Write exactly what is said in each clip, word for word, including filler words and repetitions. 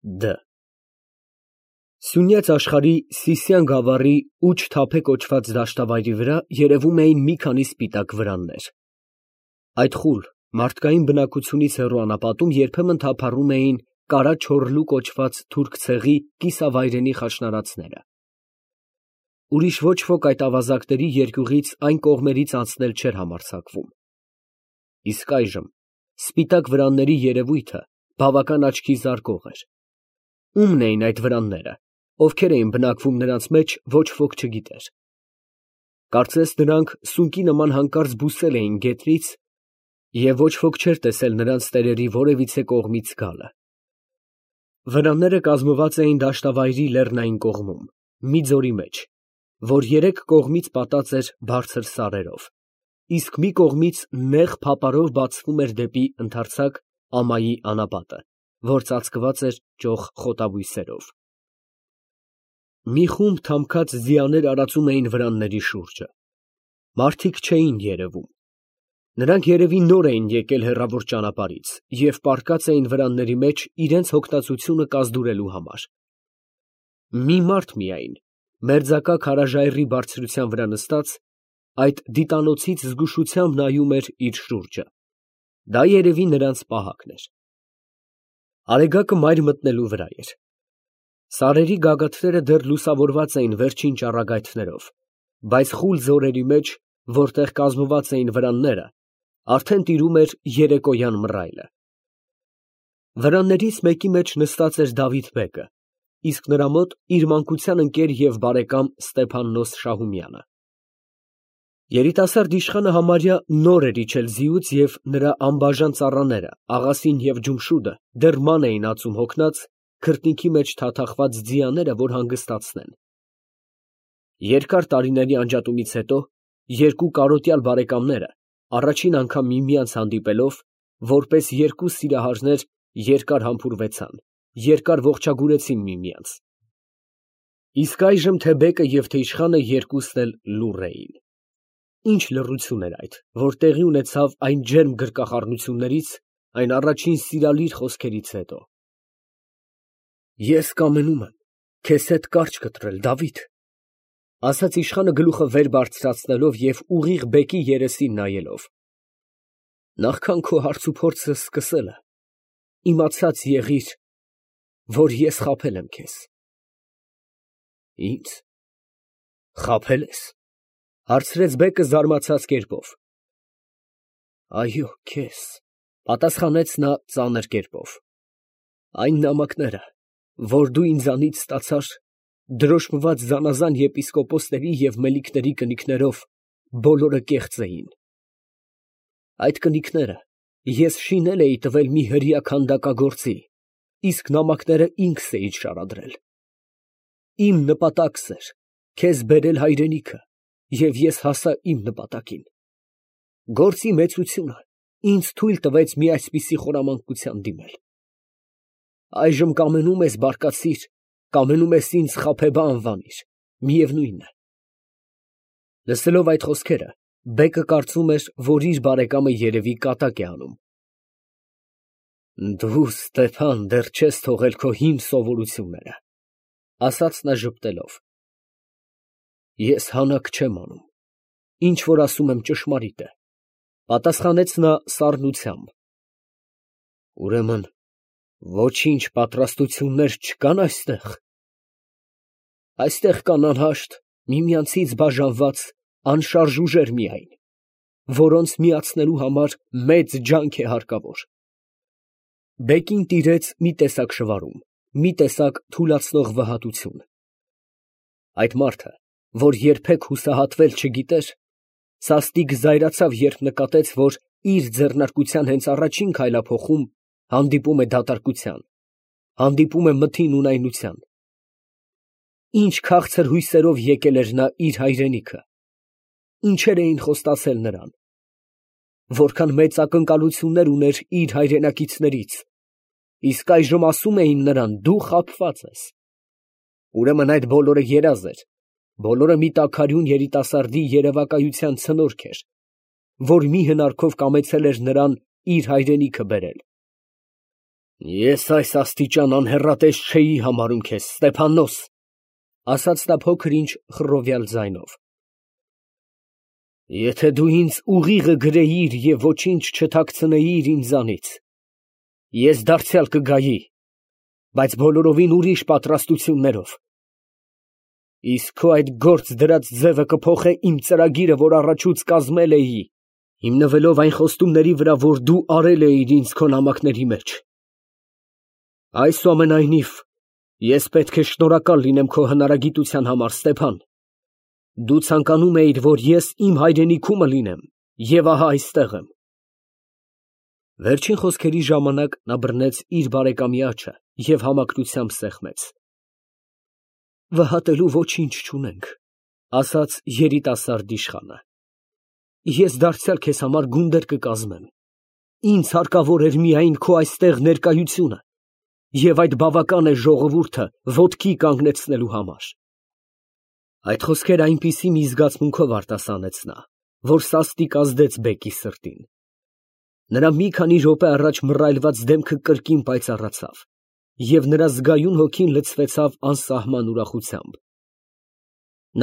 Դ Սյունյաց աշխարհի Սիսիան գավառի Ուջ Թափե կոչված դաշտավայրի վրա երևում էին մի քանի սպիտակ վրաններ. այդ խուլ, մարդկային բնակությունից հեռու անապատում երբեմն թափառում էին Կարա Չորլու կոչված թուրք ցեղի կիսավայրենի խաշնարածները. ուրիշ ոչ ոք այդ ավազակների երկյուղից այն կողմերից անցնել չէր համարձակվում. իսկ այժմ սպիտակ վրանների երևույթը բավական աչքի զարկող էր. ո՞ւմն էին այդ վրանները, ովքեր էին բնակվում նրանց մեջ, ոչ ոք չգիտեր. կարծես նրանք սունկի նման հանկարծ բուսել էին գետնից և ոչ ոք չէր տեսել նրանց տերերի որևիցե կողմից գալը. վրանները կազմված էին դաշտավայրի լեռնային կողմում, մի ձորի մեջ, որ երեք կողմից պատած էր բարձր սարերով, իսկ մի կողմից նեղ փապարով բացվում էր դեպի ընդարձակ ամայի անապատը, որ ծածկված էր ճոխ խոտաբույսերով. մի խումբ թամքած ձիաներ արածում էին վրանների շուրջը. մարդիկ չէին երևում. նրանք երևի նոր էին եկել հեռավոր ճանապարհից և պառկած էին վրանների մեջ իրենց հոգնածությունը կազդուրելու համար. մի մարդ միայն, մերձակա քարաժայռի բարձրության վրա նստած, այդ դիտանոցից զգուշությամբ նայում էր իր շուրջը. դա երևի նրանց պահակն էր. Արեգակը մայր մտնելու վրա էր. սարերի գագաթները դեռ լուսավորված էին վերջին ճառագայթներով, բայց խուլ ձորերի մեջ, որտեղ կազմված էին վրանները, արդեն տիրում էր երեկոյան մռայլը. վրաններից մեկի մեջ նստած էր Դավիթ֊բեկը, իսկ նրա մոտ իր մանկության ընկեր և բարեկամ Ստեփաննոս Շահումյանը. երիտասարդ իշխանը համարյա նոր էր իջել ձիուց և նրա անբաժան ծառաները Աղասին և Ջումշուդը դեռ ման էին ածում հոգնած, քրտնքի մեջ թաթախված ձիաները, որ հանգստացնեն. երկար տարիների անջատումից հետո երկու կարոտյալ բարեկամները առաջին անգամ միմյանց հանդիպելով, որպես երկու սիրահարներ երկար համբուրվեցան, երկար ողջագուրեցին միմյանց. իսկ այժմ թե բեկը և թե իշխանը երկուսն էլ լուռ էին. Ինչ լռություն էր այդ, որ տեղի ունեցավ այն ջերմ գրկախառնություններից, այն առաջին սիրալիր խոսքերից հետո. Ես կամենում եմ քեզ հետ կարճ կտրել, Դավիթ, ֊ ասաց իշխանը գլուխը վեր բարձրացնելով և ուղիղ բեկի երեսին նայելով. նախքան քո հարցուփորձը սկսելը, իմացած եղիր, որ ես խաբել եմ քեզ։ Ի՞նձ, խաբե՞լ ես, ֊ հարցրեց բեկը զարմացած կերպով։ Այո, քեզ, ֊ պատասխանեց նա ծանր կերպով, այն նամակները, որ դու ինձանից ստացար, դրոշմված զանազան եպիսկոպոսների և մելիքների կնիկներով, բոլորը կեղծ էին. այդ կնիկները ես շինել էի տվել մի հրեա քանդակագործի, իսկ նամակները ինքս էի շարադրել. իմ նպատակս էր քեզ բերել հայրենիքը, և ես հասա իմ նպատակին. գործի մեծությունը ինձ թույլ տվեց մի այսպիսի խորամանկության դիմել. այժմ կամենում ես բարկացիր, կամենում ես ինձ խաբեբա անվանիր, միևնույն է։ Լսելով այդ խոսքերը, բեկը կարծում էր, որ իր բարեկամը երևի կատակ է անում. Դու, Ստեփան, դեռ չես թողել քո հին սովորությունները, ֊ ասաց նա ժպտելով։ Ես հանաք չեմ անում, ինչ որ ասում եմ ճշմարիտ է, ֊ պատասխանեց նա սառնությամբ։ Ուրեմն ոչինչ պատրաստություններ չկան այստեղ։ Այստեղ կան անհաշտ, միմյանցից բաժանված անշարժ ուժեր միայն, որոնց միացնելու համար մեծ ջանք է հարկավոր։ Բեկին տիրեց մի տեսակ շվարում, մի տեսակ թուլացնող վհատություն. այդ մարդը, որ երբեք հուսահատվել չգիտեր, սաստիկ զայրացավ, երբ նկատեց, որ իր ձեռնարկության հենց առաջին քայլափոխում հանդիպում է դատարկության, հանդիպում է մթին ունայնության. ինչ քաղցր հույսերով եկել էր նա իր հայրենիքը, ինչեր էին խոստացել նրան, որքան մեծ ակնկալություններ ուներ իր հայրենակիցներից, իսկ այժմ ասում էին նրան. դու խաբված ես։ Ուրեմն այդ բոլորը երազ էր, բոլորը մի տաքարյուն երիտասարդի երևակայության ցնորք էր, որ մի հնարքով կամեցել էր նրան իր հայրենիքը բերել։ Ես այս աստիճան անհեռատես չէի համարում քեզ, Ստեփաննոս, ասաց նա փոքր-ինչ խռովյալ ձայնով։ Եթե դու ինձ ուղիղը գրեիր և ոչինչ չթաքցնեիր ինձանից, ես դարձյալ կգայի, բայց բոլորովին ուրիշ պատրաստություններով։ Իսկ քո այդ գործ դրած ձևը կփոխե իմ ծրագիրը, որ առաջուց կազմել էի, հիմնվելով այն խոստումների վրա, որ դու արել էիր ինձ քո նամակների մեջ։ Այսուամենայնիվ, ես պետք է շնորհակալ լինեմ քո հնարագիտության համար, Ստեփան։ Դու ցանկանում էիր, որ ես իմ հայրենիքումը լինեմ, և ահա այստեղ եմ։ Վերջին խոսքերի ժամանակ նա բռնեց իր բարեկամի աջը և համակրությամբ սեղմեց։ Վհատելու ոչինչ չունենք, ասաց երիտասարդ իշխանը։ Ես դարձյալ քեզ համար գունդեր կկազմեմ։ Ինձ հարկավոր էր միայն քո այստեղ ներկայությունը, և այդ բավական է ժողովուրդը ոտքի կանգնեցնելու համար։ Այդ խոսքերը այնպիսի մի զգացմունքով արտասանեց նա, որ սաստիկ ազդեց բեկի սրտին։ Նրա մի քանի րոպե առաջ մռայլված դեմքը կրկին պայծառացավ, և նրա զգայուն հոգին լցվեցավ անսահման ուրախությամբ։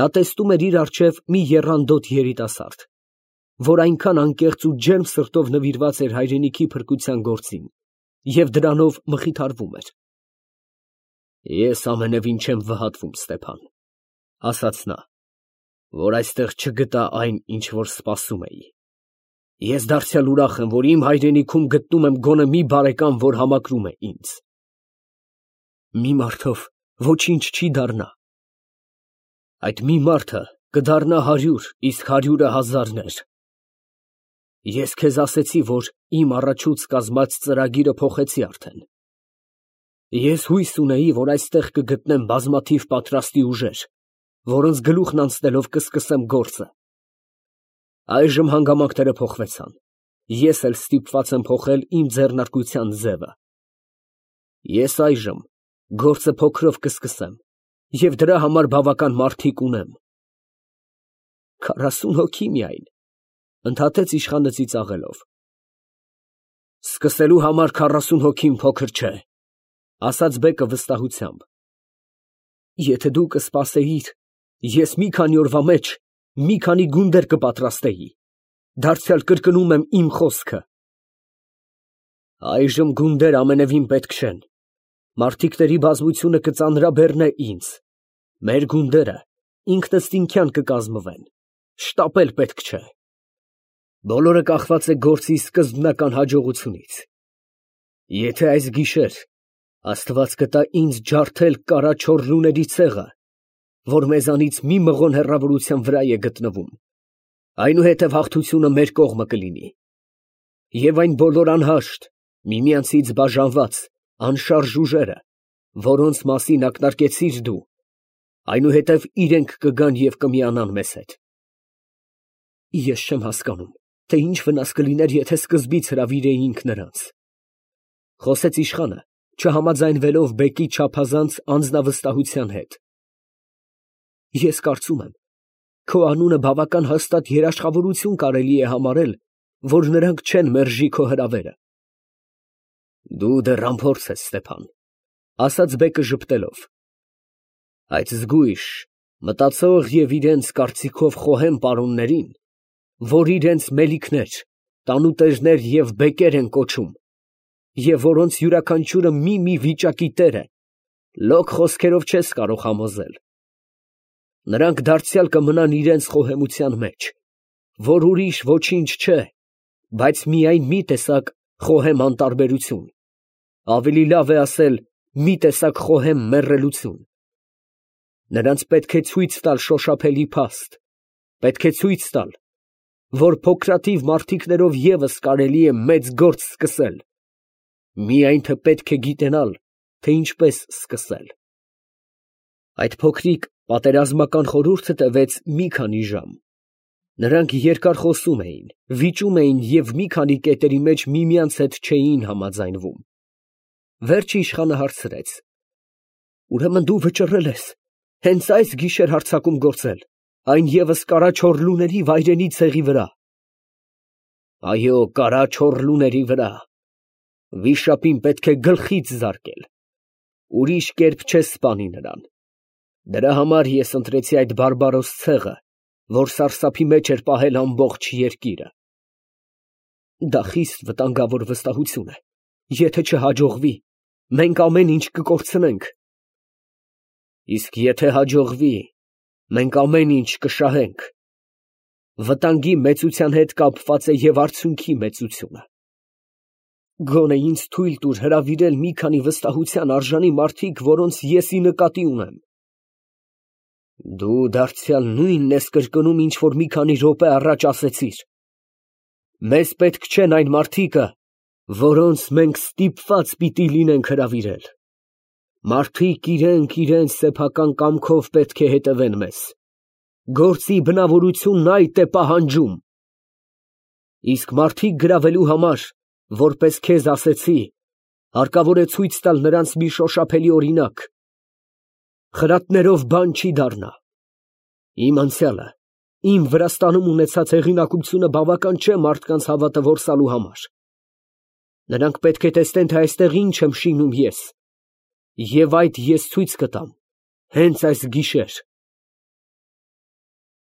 Նա տեսնում էր իր առջև մի եռանդոտ երիտասարդ, որ այնքան անկեղծ ու ջերմ սրտով նվիրված էր հայրենիքի փրկության գործին և դրանով մխիթարվում էր։ Ես ամենևին չեմ վհատվում, Ստեփան, ասաց նա, որ այստեղ չգտա այն, ինչ որ սպասում էի։ Ես դարձյալ ուրախ եմ, որ իմ հայրենիքում գտնում եմ գոնե մի բարեկամ, որ համակրում է ինձ։ Մի մարդով ոչինչ չի դառնա։ Այդ մի մարդը կդառնա հարյուր, իսկ հարյուրը հազարներ։ Ես քեզ ասեցի, որ իմ առաջուց կազմած ծրագիրը փոխեցի արդեն։ Ես հույս ունեի, որ այստեղ կգտնեմ բազմաթիվ պատրաստի ուժեր, որոնց գլուխն անցնելով կսկսեմ գործը։ Այժմ հանգամանքները փոխվեցան։ Ես էլ ստիպված եմ փոխել իմ ձեռնարկության ձևը։ Ես այժմ գործը փոքրով կսկսեմ և դրա համար բավական մարդիկ ունեմ։ Քառասուն հոգի միայն, ընդհատեց իշխանը ծիծաղելով։ Սկսելու համար քառասուն հոգին փոքր չէ, ասաց բեկը վստահությամբ։ Եթե դու կսպասեիր, ես մի քանի օրվա մեջ մի քանի գունդեր կպատրաստեի, դարձյալ կրկնում եմ իմ խոսքը։ Այժմ գունդեր ամենևին պետք չեն, մարդիկների բազմությունը կծանրաբեռնե ինձ, մեր գունդերը ինքնըստինքյան կկազմվեն, շտապել պետք չէ։ Բոլորը կախված է գործի սկզբնական հաջողությունից։ Եթե այս գիշեր Աստված կտա ինձ ջարդել կարա չոր լուների ցեղը, որ մեզանից մի մղոն հեռավորության վրա է գտնվում, այնուհետև հաղթությունը մեր կողմը կլինի։ Եվ այն բոլոր անհաշտ, միմյանցից բաժանված, անշարժ ուժերը, որոնց մասին ակնարկեցիր դու, այնուհետև իրենք կգան և կմիանան մեզ հետ։ Ես չեմ հասկանում, թե ինչ վնաս կլիներ, եթե սկզբից հրավիրեինք նրանց, խոսեց իշխանը, չհամաձայնվելով բեկի չափազանց անձնավստահության հետ։ Ես կարծում եմ, քո անունը բավական հաստատ երաշխավորություն կարելի է համարել, որ նրանք չեն մերժի քո հրավերը։ Դու դեռ անփորձ ես, Ստեփան, ասաց բեկը ժպտելով։ Այդ զգույշ, մտածող և իրենց կարծիքով խոհեմ պարոններին, որ իրենց մելիքներ, տանուտերներ և բեկեր են կոչում, և որոնց յուրաքանչյուրը մի֊մի վիճակի տեր է, լոկ խոսքերով չես կարող համոզել։ Նրանք դարձյալ կմնան իրենց խոհեմության մեջ, որ ուրիշ ոչինչ չէ, բայց միայն մի տեսակ խոհեմ անտարբերություն, ավելի լավ է ասել մի տեսակ խոհեմ մեռելություն։ Նրանց պետք է ցույց տալ շոշափելի փաստ, պետք է ցույց տալ, որ փոքրաթիվ մարդիկներով ևս կարելի է մեծ գործ սկսել, միայն թե պետք է գիտենալ, թե ինչպես սկսել։ Այդ փոքրիկ պատերազմական խորհուրդը տևեց մի քանի ժամ։ Նրանք երկար խոսում էին, վիճում էին և մի քանի կետերի մեջ միմյանց հետ չէին համաձայնվում։ Վերջը իշխանը հարցրեց. Ուրեմն դու վճռել ես հենց այս գիշեր հարձակում գործել, այն ևս կարա չոր լուների վայրենի ցեղի վրա։ Այո, կարա չոր լուների վրա, Վիշապին պետք է գլխից զարկել, ուրիշ կերպ չես սպանի նրան։ Դրա համար ես ընտրեցի այդ բարբարոս ցեղը, որ սարսափի մեջ էր պահել ամբողջ երկիրը։ Դա խիստ վտանգավոր վստահություն է, եթե չհաջողվի, մենք ամեն ինչ կկորցնենք։ Իսկ եթե հաջողվի, մենք ամեն ինչ կշահենք։ Վտանգի մեծության հետ կապված է և արդյունքի մեծությունը։ Գոնե ինձ թույլ տուր հրավիրել մի քանի վստահության արժանի մարդիկ, որոնց ես ի նկատի ունեմ։ Դու դարձյալ նույնն ես կրկնում, ինչ որ մի քանի րոպե առաջ ասեցիր։ Մեզ պետք չեն այն մարդիկը, որոնց մենք ստիպված պիտի լինենք հրավիրել։ Մարդիկ իրենք իրենց սեփական կամքով պետք է հետևեն մեզ։ Գործի բնավորությունն այդ է պահանջում։ Իսկ մարդիկ գրավելու համար, որպես քեզ ասեցի, հարկավոր է ցույց տալ նրանց մի շոշափելի օրինակ։ Խրատներով բան չի դառնա։ Իմ անցյալը, իմ Վրաստանում ունեցած հեղինակությունը բավական չէ մարդկանց հավատը որսալու համար։ Նրանք պետք է տեսնեն, թե այստեղ ինչ եմ շինում ես, և այդ ես ցույց կտամ հենց այս գիշեր։